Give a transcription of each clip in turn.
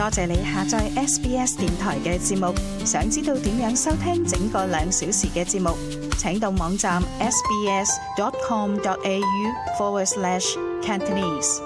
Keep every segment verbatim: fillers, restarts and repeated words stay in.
多謝你下載 S B S 電台嘅節目。想知道點樣收聽整個兩小時嘅節目，請到網站 sbs.com.au forward slash Cantonese。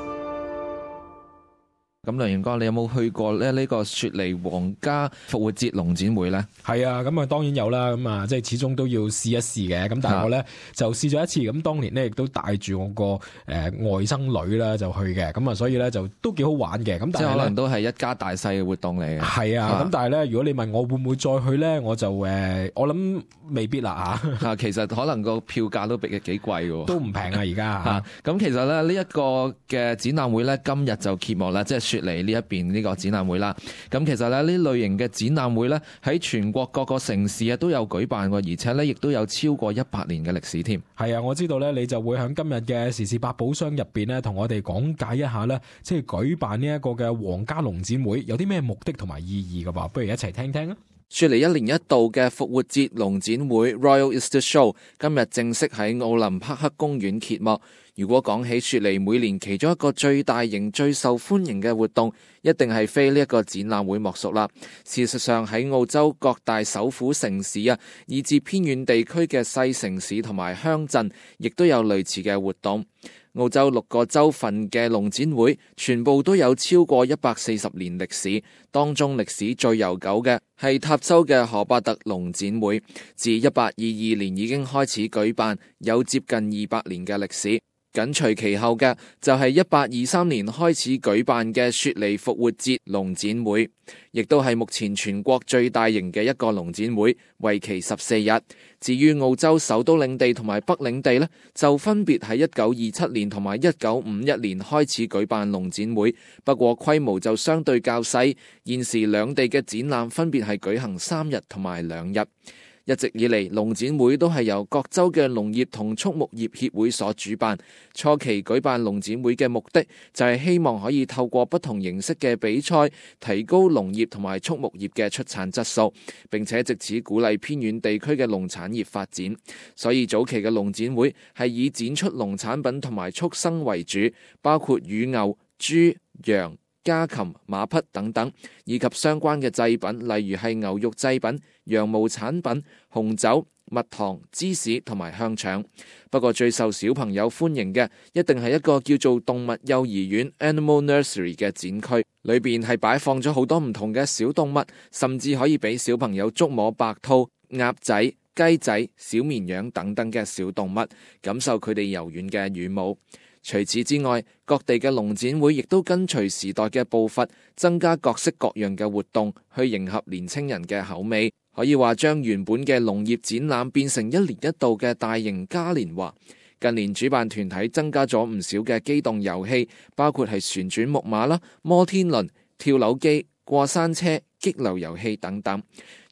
咁梁元哥，你有冇去過咧呢個雪梨皇家復活節龍展會咧？係啊，咁啊當然有啦，咁啊即係始終都要試一試嘅。咁但係我咧就試咗一次，咁當年咧亦都帶住我個誒、呃、外甥女啦就去嘅，咁啊所以咧就都幾好玩嘅。咁但係即係可能都係一家大細嘅活動嚟嘅。係啊，咁但係咧如果你問我會唔會再去咧，我就誒、呃、我諗未必啦嚇。啊，其實可能個票價都幾幾貴喎，都唔平啊而家嚇。咁其實咧呢一個嘅展覽會咧今日就揭幕啦，即係雪梨呢一邊呢個展覽會啦。咁其實咧呢類型嘅展覽會咧喺全國各個城市啊都有舉辦過，而且咧亦都有超過一百年嘅歷史添。係啊，我知道咧你就會喺今日嘅時事百寶箱入邊咧同我哋講解一下咧，即係舉辦呢一個嘅皇家龍展會有啲咩目的同埋意義㗎噃，不如一齊聽聽啊！雪梨一年一度嘅復活節龍展會 Royal Easter Show 今日正式喺奧林匹克公園揭幕。如果講起雪梨每年其中一個最大型、最受歡迎嘅活動，一定係非呢一個展覽會莫屬啦。事實上喺澳洲各大首府城市啊，以至偏遠地區嘅細城市同埋鄉鎮，亦都有類似嘅活動。澳洲六個州份嘅龍展會全部都有超過一百四十年歷史，當中歷史最悠久嘅係塔州嘅荷伯特龍展會，自一八二二年已經開始舉辦，有接近二百年嘅歷史。緊隨其後嘅就係一八二三年開始舉辦嘅雪梨復活節龍展會，亦都係目前全國最大型嘅一個龍展會，為期十四日。至於澳洲首都領地同埋北領地呢，就分別喺一九二七年同埋一九五一年開始舉辦龍展會，不過規模就相對較細。現時兩地嘅展覽分別係舉行三日同埋兩日。一直以嚟，龍展會都係由各州嘅農業同畜牧業協會所主辦。初期舉辦龍展會嘅目的就係希望可以透過不同形式嘅比賽，提高農業同埋畜牧業嘅出產質素，並且藉此鼓勵偏遠地區嘅農產業發展。所以早期嘅龍展會係以展出農產品同埋畜生為主，包括乳牛、豬、羊、家禽、馬匹等等，以及相關嘅祭品，例如係牛肉祭品、羊毛產品、紅酒、蜜糖、芝士同埋香腸。不過最受小朋友歡迎嘅，一定係一個叫做動物幼兒園 Animal Nursery 嘅展區，裏邊係擺放咗好多唔同嘅小動物，甚至可以俾小朋友觸摸白兔、鴨仔、雞仔、小綿羊等等嘅小動物，感受佢哋柔軟嘅羽毛。除此之外，各地嘅龍展會亦都跟隨時代嘅步伐，增加各式各樣嘅活動，去迎合年輕人嘅口味。可以話將原本嘅農業展覽變成一年一度嘅大型嘉年華。近年主辦團體增加咗唔少嘅機動遊戲，包括係旋轉木馬啦、摩天輪、跳樓機、過山車、激流遊戲等等。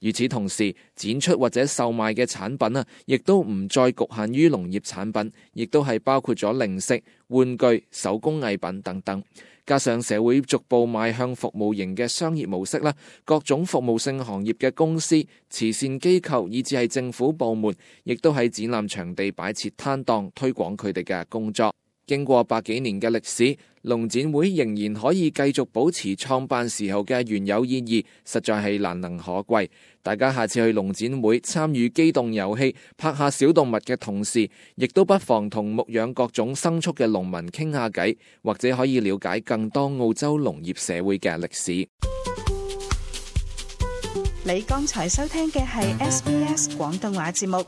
與此同時，展出或者售賣嘅產品啊，亦都唔再局限於農業產品，亦都係包括咗零食、玩具、手工藝品等等。加上社會逐步邁向服務型嘅商業模式啦，各種服務性行業嘅公司、慈善機構以至係政府部門，亦都喺展覽場地擺設攤檔，推廣佢哋嘅工作。經過百幾年嘅歷史，龍展會仍然可以繼續保持創辦時候嘅原有意義，實在係難能可貴。大家下次去龍展會參與機動遊戲、拍下小動物嘅同時，亦都不妨同牧養各種牲畜嘅農民傾下偈，或者可以了解更多澳洲農業社會嘅歷史。你剛才收聽嘅係 S B S 廣東話節目。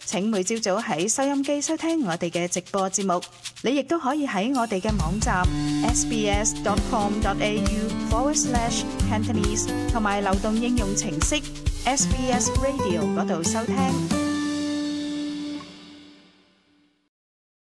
請每朝早喺收音機收聽我哋嘅直播節目，你亦都可以喺我哋嘅網站 sbs.com.au forward slash Cantonese 同埋流動應用程式 S B S Radio 嗰度收聽。